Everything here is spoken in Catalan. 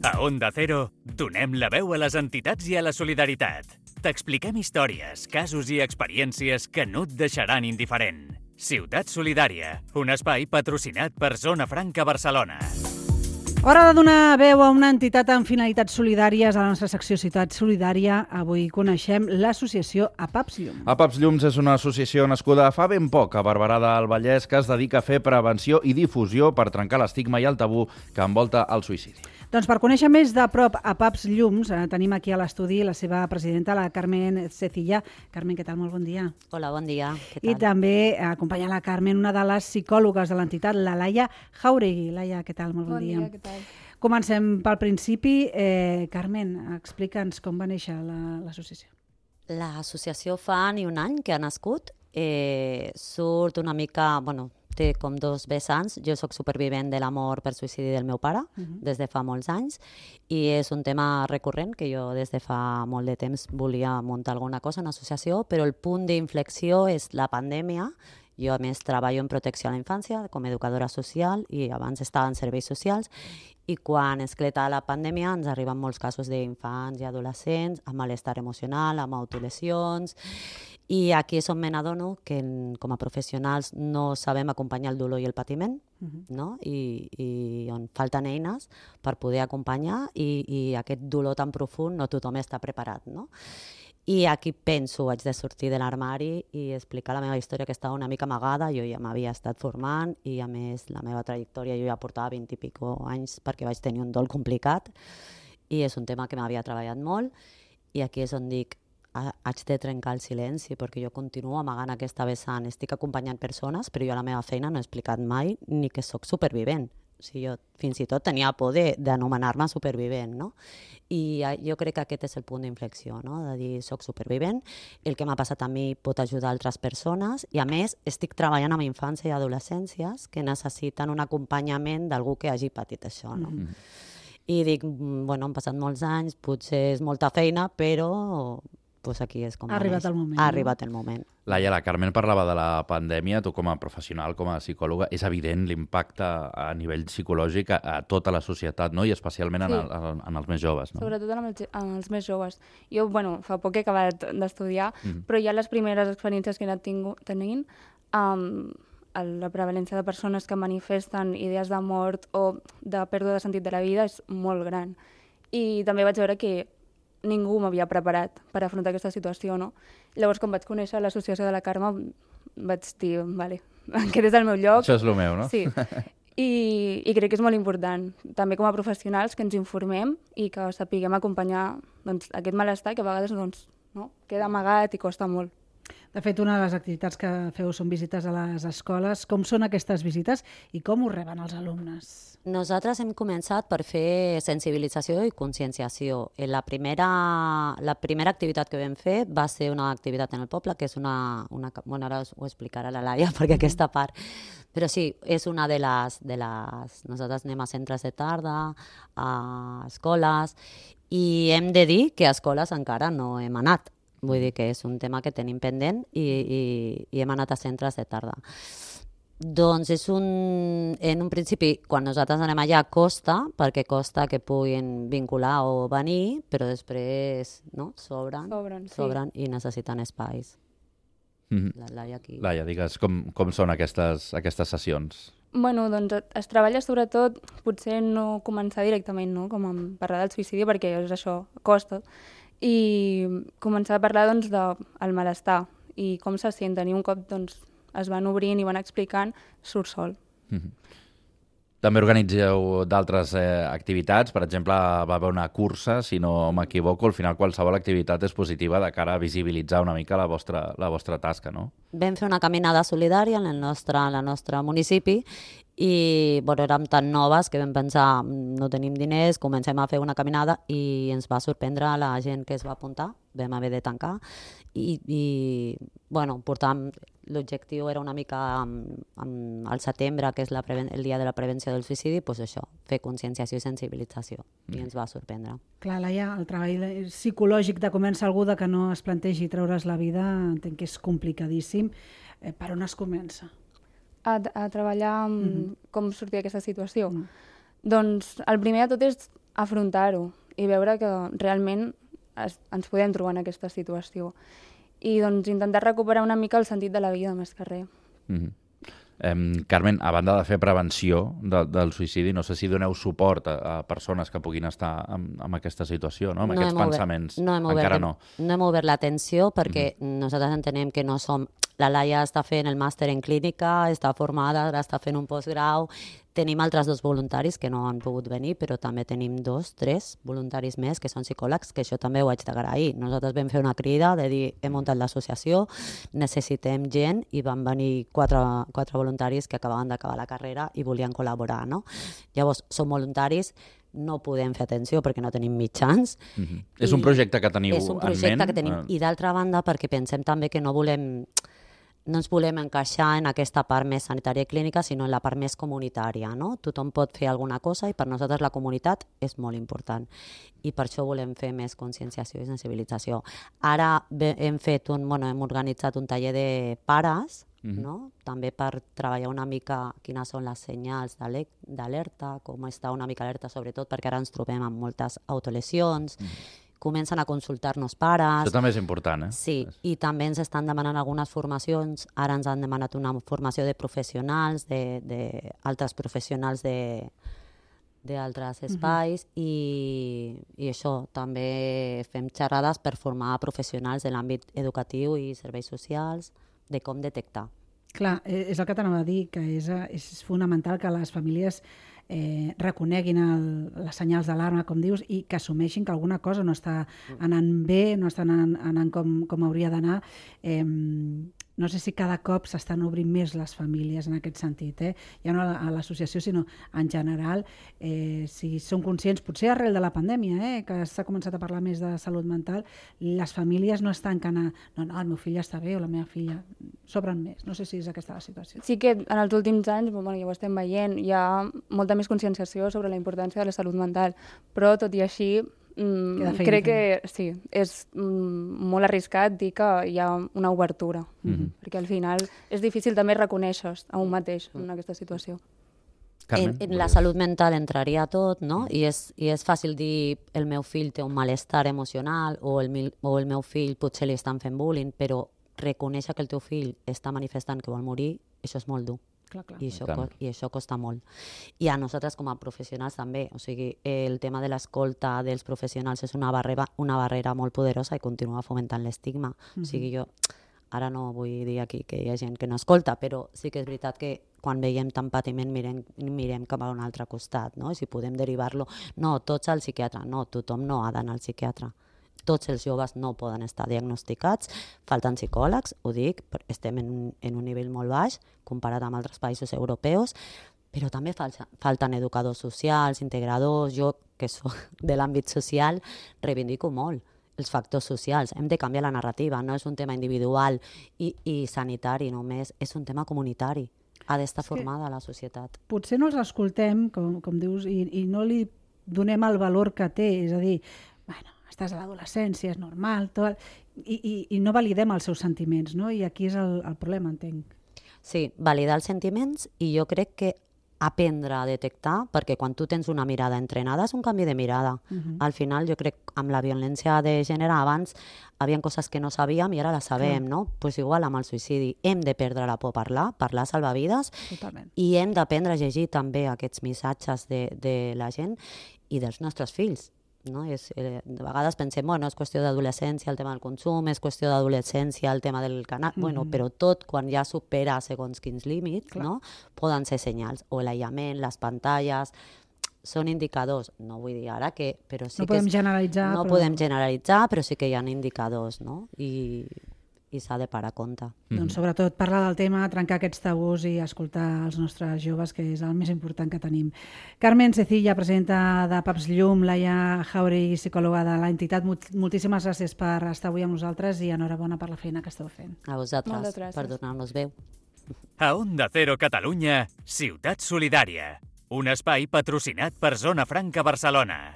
A Onda Cero, donem la veu a les entitats i a la solidaritat. T'expliquem històries, casos i experiències que no et deixaran indiferent. Ciutat Solidària, un espai patrocinat per Zona Franca Barcelona. Hora de donar veu a una entitat amb finalitats solidàries a la nostra secció Ciutat Solidària. Avui coneixem l'associació APAPS Llums. APAPS Llums és una associació nascuda fa ben poc a Barberà del Vallès que es dedica a fer prevenció i difusió per trencar l'estigma i el tabú que envolta el suïcidi. Doncs per conèixer més de prop APAPS Llums, tenim aquí a l'estudi la seva presidenta, la Carmen Cecilla. Carmen, què tal? Molt bon dia. Hola, bon dia. Què tal? I també acompanya la Carmen, una de les psicòlogues de l'entitat, la Laia Jauregui. Laia, què tal? Molt bon dia. Bon dia, què tal? Comencem pel principi. Carmen, explica'ns com va néixer l'associació. L'associació fa ni un any que ha nascut. Surt una mica... té com dos vessants. Jo sóc supervivent de la mort per suïcidi del meu pare des de fa molts anys i és un tema recurrent que jo des de fa molt de temps volia muntar alguna cosa, una associació, però el punt d'inflexió és la pandèmia. Jo, a més, treballo en protecció a la infància com a educadora social i abans estava en serveis socials i quan esclata la pandèmia ens arriben molts casos d'infants i adolescents amb malestar emocional, amb autolesions. I aquí és on me n'adono que com a professionals no sabem acompanyar el dolor i el patiment, no? I on falten eines per poder acompanyar i aquest dolor tan profund no tothom està preparat, no? I aquí penso, haig de sortir de l'armari i explicar la meva història que estava una mica amagada. Jo ja m'havia estat formant i a més la meva trajectòria jo ja portava 20 i pico anys perquè vaig tenir un dol complicat i és un tema que m'havia treballat molt i aquí és on dic haig de trencar el silenci perquè jo continuo amagant aquesta vessant. Estic acompanyant persones, però jo a la meva feina no he explicat mai ni que sóc supervivent. O sigui, jo fins i tot tenia por d'anomenar-me supervivent, no? I jo crec que aquest és el punt d'inflexió, no? De dir, soc supervivent, el que m'ha passat a mi pot ajudar altres persones i a més estic treballant amb infància i adolescències que necessiten un acompanyament d'algú que hagi patit això, no? I dic, han passat molts anys, potser és molta feina, però... Pues aquí és com ha arribat el moment. Ha arribat el moment. Laia, la Carmen parlava de la pandèmia, tu com a professional, com a psicòloga, és evident l'impacte a nivell psicològic a tota la societat, no? I especialment en els més joves. No? Sobretot en els més joves. Jo, fa poc he acabat d'estudiar, però ja les primeres experiències que he anat tenint, la prevalència de persones que manifesten idees de mort o de pèrdua de sentit de la vida és molt gran. I també vaig veure que ningú m'havia preparat per afrontar aquesta situació, no? Llavors, quan vaig conèixer l'associació de la Carme, vaig dir, vale, aquest és el meu lloc. Això és el meu, no? Sí. I crec que és molt important, també com a professionals, que ens informem i que sapiguem acompanyar aquest malestar que a vegades queda amagat i costa molt. De fet, una de les activitats que feu són visites a les escoles. Com són aquestes visites i com ho reben els alumnes? Nosaltres hem començat per fer sensibilització i conscienciació. La primera activitat que vam fer va ser una activitat en el poble, que és ara ho explicarà la Laia, perquè aquesta part... Però sí, és una de les... Nosaltres anem a centres de tarda, a escoles, i hem de dir que a escoles encara no hem anat. Vull dir que és un tema que tenim pendent i hem anat a centres de tarda. Doncs en un principi, quan nosaltres anem allà, costa, perquè costa que puguin vincular o venir, però després sobren i necessiten espais. Laia, digues, com són aquestes sessions? Es treballa sobretot, potser no començar directament, no? Com a parlar del suïcidi, perquè és això, costa, i començar a parlar del malestar i com se senten, i un cop es van obrint i van explicant, surt sol. També organitzeu d'altres activitats, per exemple, va haver una cursa, si no m'equivoco, al final qualsevol activitat és positiva de cara a visibilitzar una mica la vostra tasca, no? Vam fer una caminada solidària en el nostre municipi i érem tan noves que vam pensar no tenim diners, comencem a fer una caminada i ens va sorprendre la gent que es va apuntar, vam haver de tancar i portàvem, l'objectiu era una mica al setembre, que és el dia de la prevenció del suïcidi, doncs això, fer conscienciació i sensibilització i ens va sorprendre. Clar, Laia, el treball psicològic de convèncer algú que no es plantegi treure's la vida entenc que és complicadíssim. Per on es comença? A treballar com sortir d'aquesta situació. Doncs el primer de tot és afrontar-ho i veure que realment ens podem trobar en aquesta situació. I doncs intentar recuperar una mica el sentit de la vida, més que res. Carmen, a banda de fer prevenció del suïcidi, no sé si doneu suport a persones que puguin estar en aquesta situació, no? Amb aquests pensaments. Encara no. No hem obert l'atenció perquè nosaltres entenem que no som... La Laia està fent el màster en clínica, està formada, ara està fent un postgrau. Tenim altres 2 voluntaris que no han pogut venir, però també tenim 2, 3 voluntaris més que són psicòlegs, que això també ho haig d'agrair. Nosaltres vam fer una crida de dir hem muntat l'associació, necessitem gent, i van venir 4 voluntaris que acabaven d'acabar la carrera i volien col·laborar, no? Llavors, som voluntaris, no podem fer atenció perquè no tenim mitjans. És un projecte que teniu en ment? És un projecte que tenim. I d'altra banda, perquè pensem també que no ens volem encaixar en aquesta part més sanitària i clínica, sinó en la part més comunitària, no? Tothom pot fer alguna cosa i per nosaltres la comunitat és molt important. I per això volem fer més conscienciació i sensibilització. Ara hem organitzat un taller de pares, no? També per treballar una mica quines són les senyals d'alerta, com està una mica alerta, sobretot perquè ara ens trobem amb moltes autolesions, comencen a consultar-nos pares. Això també és important, eh? Sí, i també ens estan demanant algunes formacions. Ara ens han demanat una formació de professionals, d'altres professionals d'altres espais, i això, també fem xerrades per formar professionals de l'àmbit educatiu i serveis socials, de com detectar. Clar, és el que t'anava a dir, que és fonamental que les famílies reconeguin les senyals d'alarma, com dius, i que assumeixin que alguna cosa no està anant bé, no està anant com hauria d'anar. No sé si cada cop s'estan obrint més les famílies en aquest sentit, ja no a l'associació, sinó en general. Si són conscients, potser arrel de la pandèmia, que s'ha començat a parlar més de salut mental, les famílies no estan no, el meu fill ja està bé o la meva filla, s'obren més. No sé si és aquesta la situació. Sí que en els últims anys, ja ho estem veient, hi ha molta més conscienciació sobre la importància de la salut mental, però tot i així crec que sí, és molt arriscat dir que hi ha una obertura, perquè al final és difícil també reconèixer a un mateix en aquesta situació. Carmen, en la salut mental entraria tot, no? I és fàcil dir el meu fill té un malestar emocional o el meu fill potser li estan fent bullying, però reconèixer que el teu fill està manifestant que vol morir, això és molt dur. Clar. I això costa molt. I a nosaltres com a professionals també, o sigui, el tema de l'escolta dels professionals és una barrera molt poderosa i continua fomentant l'estigma. O sigui, jo ara no vull dir aquí que hi ha gent que no escolta, però sí que és veritat que quan veiem tant patiment mirem cap a un altre costat, no? I si podem derivar-lo, no, tots al psiquiatre, no, tothom no ha d'anar al psiquiatre. Tots els joves no poden estar diagnosticats, falten psicòlegs, ho dic, estem en un nivell molt baix comparat amb altres països europeus, però també falten educadors socials, integradors. Jo, que soc de l'àmbit social, reivindico molt els factors socials. Hem de canviar la narrativa, no és un tema individual i sanitari només, és un tema comunitari. Ha d'estar formada la societat. Potser no els escoltem, com dius, i no li donem el valor que té, és a dir, bueno, estàs a l'adolescència, és normal, tot, i no validem els seus sentiments, no? I aquí és el problema, entenc. Sí, validar els sentiments, i jo crec que aprendre a detectar, perquè quan tu tens una mirada entrenada és un canvi de mirada. Al final, jo crec, amb la violència de gènere, abans hi havia coses que no sabíem i ara les sabem, no? Pues igual amb el suïcidi. Hem de perdre la por a parlar salva vides. Totalment. I hem d'aprendre a llegir també aquests missatges de la gent i dels nostres fills. No? De vegades pensem, bueno, és qüestió d'adolescència el tema del consum, és qüestió d'adolescència el tema del canal, bueno, però tot quan ja supera segons quins límits, no? Poden ser senyals, o l'aïllament, les pantalles, són indicadors, no vull dir ara que... Però sí no podem generalitzar. Podem generalitzar, però sí que hi ha indicadors, no? I s'ha de parar compte. Doncs sobretot parlar del tema, trencar aquests tabús i escoltar els nostres joves, que és el més important que tenim. Carmen Cecilla, presidenta de PAPS Llum, Laia Jauregui, psicòloga de l'entitat, moltíssimes gràcies per estar avui amb nosaltres i enhorabona per la feina que esteu fent. A vosaltres, per donar-nos veu. A Onda Cero Catalunya, Ciutat Solidària, un espai patrocinat per Zona Franca Barcelona.